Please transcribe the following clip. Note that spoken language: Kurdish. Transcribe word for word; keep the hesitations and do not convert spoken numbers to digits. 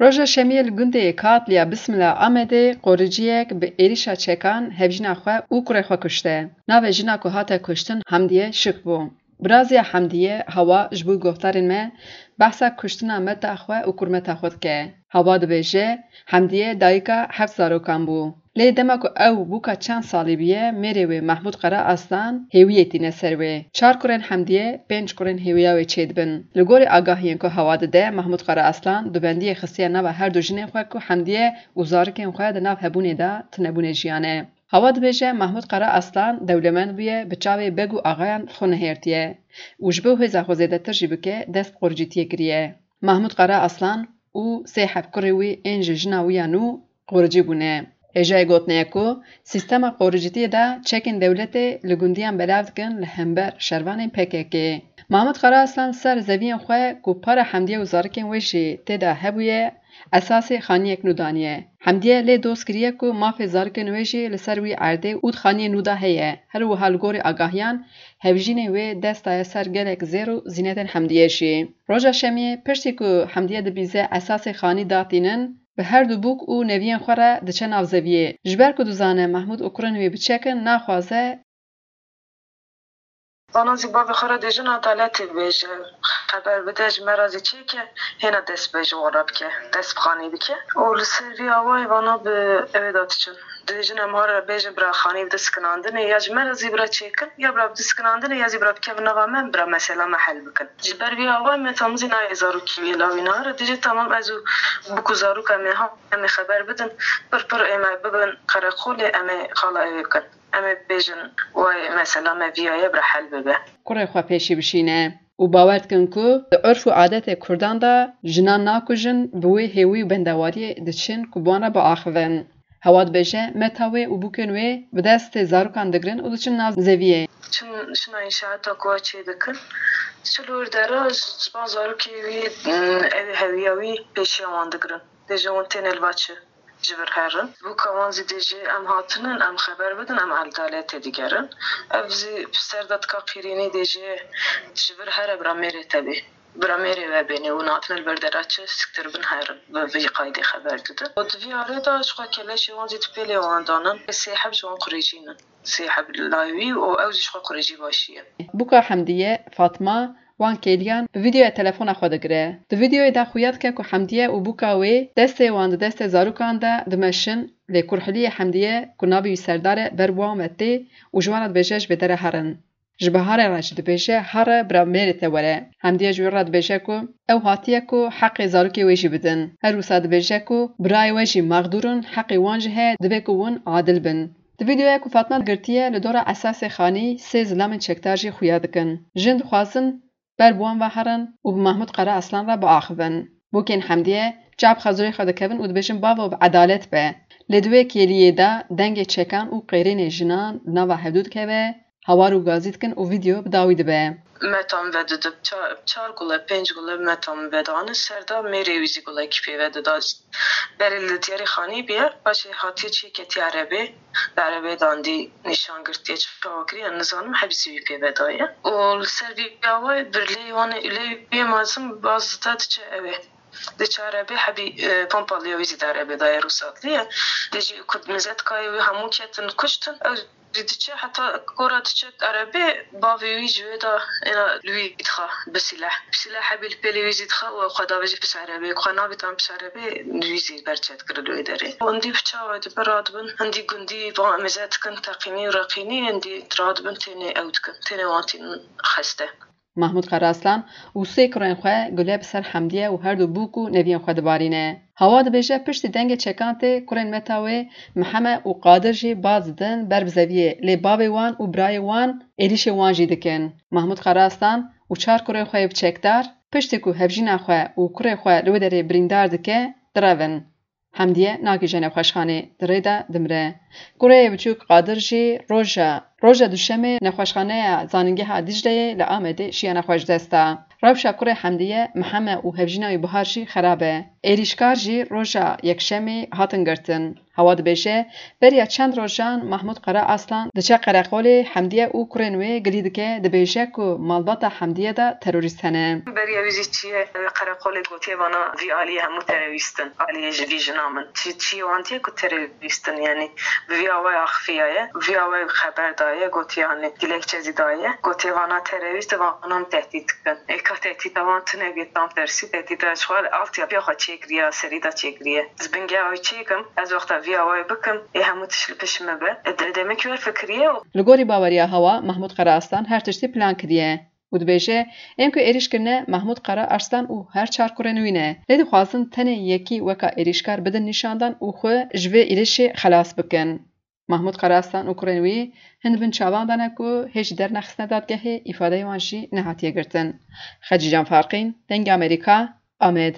Roja Şemiyê li gundê Katliya Bismila Amedê qoriciyek bi êrişa çekan hevjîna xwe û kurê xwe kuşte. Navê jina ku hate kuştin Hemdiye Şik bû. Biraziya Hemdiye Hawa ji bo guhdarên me behsa kuştina meta xwe û kurmeta xwe dike. Hawa dibêje, Hemdiye dayika heft zarokan bû. Lê dema ku ew bûka çend salî bûye, mêrê wê Mehmûd Qara Aslan hêwiyê tîne ser wê. Çar kurên Hemdiye, pênc kurên hêwiya wê çêdibin. Li gorî agahiyên ku Hawa dide, Mehmûd Qara Aslan dubendiyê xistiye nava her du jinên xwe ku Hemdiye û zarikên xwe di nav hebûnê de tunebûnê jiyan e. Hawa dibêje, Mehmûd Qara Aslan dewlemend bûye, bi çavê beg û axayan xwe nihêrtiye û ji bo hêza xwe zêdetir jî bike, dest bi qoricîtiyê kiriye. Mehmûd Qara Aslan û sê heb kurê wî ên ji jina wî ya nû qoricî bûne. Hêjayê gotinê ye ku sîstema qoricîtiyê de çekên dewletê li gundiyan belav dikin li hember şervanên P K K. Mehmûd Qara Aslan ser zeviyên xwe ku para Hemdiye û zarikên wê jî tê de hebûye, esasê xaniyek nû daniye. Hemdiye lê doz kiriye ku mafê zarikên wê jî li ser wî erdê û di xaniyê nû de heye. Her wiha li gorî agahiyan, hevjînê wê dest daye ser gelek zêr û zînetên Hemdiyê jî. Roja Şemiyê, piştî ku Hemdiye dibîze esasê xanî datînin, bi her du bûk û neviyên xwe re diçe nav zeviyê. Ji ber ku dizane Mehmûd û kurên wî biçekin, naxwaze. Vana zî bavê xwe re dêjin, edaletê bêje, xeber bide, ji me re zî çêke, hêna dest bê ji wan re bike, dest bi xanî bike. Û li ser vî awayî vana bi ew ê de diçin. Dibêjin, em ha re bêjin bira xanî bide sikinandinê, ya ji me re zî bira çêkin, ya bira bide sikinandinê, ya zî bira bikevin nava me, bira mesela me hel bikin. Ji ber vî awayî me tam zî nayê zarokî wî lawî nahare. Dibêje, tamam, ez û bûk û zarok em ê ha, em ê xeber bidin, pir pir ê me bibin qereqolê, em ê xala ewê bikin. Em ê bêjin, wayê mesela me viyaye bira hel bibe. Kurê xwe pêşî bişîne û bawer dikin ku di urf û adetê Kurdan de jinan nakujin, bi wê hêwî û bendewariyê diçin ku bi wan re biaxivin. Hewa dibêje, meta wê û bûkên wê bi destê zarokan digirin û diçin nav zeviyê. Çin şina înşaata ku çê dikin, çil û dera ji van zarokê wî, ev hewiya wî pêşiya wan digirin. Dêje hûn têne li va çi? Ji vir herin. Bûka wan zî dê jê em hatinin, em xeber bidin, em edaletê digerin. Ev zî ser de tika qîrînî dê jê ji vir here bira mêrê te bê. Bira mêrê we bênê û hatine li vir dera çi siktir bin herin. Bi vî qaydê xeber didin. Û di vî arê de ji xwe keleşê wan zî di pêlê wan danin. Sê heb ji wan qurêjî ne. Sê heb layî wî û ew zî ji xwe qurêjî başî ye. Bûka Hemdiye, Fatma, wan kêliyan bi vîdeoya telefona xwe digire. Di vîdeoyê de xuya dike ku Hemdiye û bûka wê destê wan di destê zarokan de dimeşin, lê kurhiliyê Hemdiye ku navê wî Serdar e ber bi wan ve tê û ji wan re dibêje ji bêdere herin. Ji biharê re jî dibêje, here bira mêrê te were. Hemdiye ji wî re dibêje ku ew hatiye ku heqê zarokê wê jî bidin. Her wisa dibêje ku birayê we jî mexdûr in, heqê wan jî heye, divê ku hûn adil bin. Di vîdeoya ku Fatma girtiye, li dora esasê xanî sê zilamên çekdar jî xuya dikin. Jin dixwazin ber bi wan ve herin û bi Mahmûd Qere Aslan re biaxivin. Bûkên Hemdiye çav xezûrê xwe dikevin û dibêjin, bavo bi edalet be. Lê di wê kêliyê de dengê çekan û qêrînê jinan li nava hevdû dikeve, hawar û gazî dikin û vîdeo bi dawî dibe. Meta min vedidib, ça-, çar gule, pênc gule meta min vedane, ser de mêrê wî zî gulekî pê vedida. Berê li diyarê xanî bûye, paşê hatiye çê ketiye erebê, li erebê dandî nîşan girtiye, çawa kiriye, nizanim, hebî zî wî pê vedaye. Û li ser vî awayê birlê wan ê, lê wî mezin baz dide diçe ewê. Diçe erebê, hebî, e, pompalîya wî zî di erebê de ye, rûsatliye. Dê jî ku mizetkayê wî hemû ketin kuştin, ew zî diçe, heta gora diçe erebê, bavê wî ji wê de êna li wî dixe bi sîleh. Bi sîleh hebî li pêlê wî zî dixe û xwe davêje pişt erebê. Xwe navêt em pişt erebê, wî zî berçe dikir li wê derê. Hindî bi çawa dibe radibin, hindî gundî van mizet dikin, teqînî û reqînî, hindî radibin tênê ew dikin. Tênê wan tînin xeste. Mahmûd Qeraslan û sê kurên xwe gule bi ser Hemdiye û her du bûk û neviyên xwe dibarîne. Hawa dibêje, piştî dengê çekan tê, kurên meta wê Miheme û Qadir jî baz didin ber bi zeviyê, lê bavê wan û birayê wan êrîşê wan jî dikin. Mahmûd Qeraslan û çar kurên xwe yê bi çekdar, piştî ku hevjîna xwe û kurê xwe li wê derê birîndar dike, direvin. Hemdiye nagihîje nexweşxanê, di rê de dimire. Kurê yê biçûk Qadir jî roja, roja duşemê nexweşxaneya Zanîngeha Dîcleyê li Amedê şiya nexweş dest da. Rewşa kurê Hemdiye, Miheme û hevjîna wî Bihar jî xerab e. Êrîşkar jî roja Yekşemê hatin girtin. Hewa dibêje, beriya çend rojan Mahmûd Qara Aslan diçe qereqolê Hemdiye û kurên wê gilî dike, dibêje ku malbata Hemdiye de terorîst hene. Beriya wî jî çiye qereqolê gotiye vana vî aliyê hemû terorîst in, aliyê ji vî jina min. Çi, çiyê wan tê ku terorîst in, yanî bi vî awayê axifiyaye, vî awayê xeber daye, gotiye, yanî dilekçe zî daye, gotiye vana terorîst, vana min tehdît dikin. Ê ka tehdîta wan tune bê, tam tersî, tehdîta ji xwe altyapîya xwe çêkiriye, serî de çêkiriye. Ez bingeha wî çêkim, ez wexta vî awayê bikim, ê hemû tişt li pişt min be. Ê de-, demek wê fikiriye û Li gorî baweriya Hewa, Mahmûd Qara Aslan her tiştî plan kiriye û dibêje, ên ku êrîş kirine Mahmûd Qara Arslan û her çar kurên wî ne. Lê dixwazin tenê yekî weka êrîşkar bidin nîşandan û xwe ji vê êrîşê xelas bikin. Mahmûd Qara Aslan û kurên wî hin di bin çavan de ne ku hê ji dernexistine dadgehê, îfadeyê wan jî nehatiye girtin. Xecîcan Farqîn, Dengê Amerîka, Amed.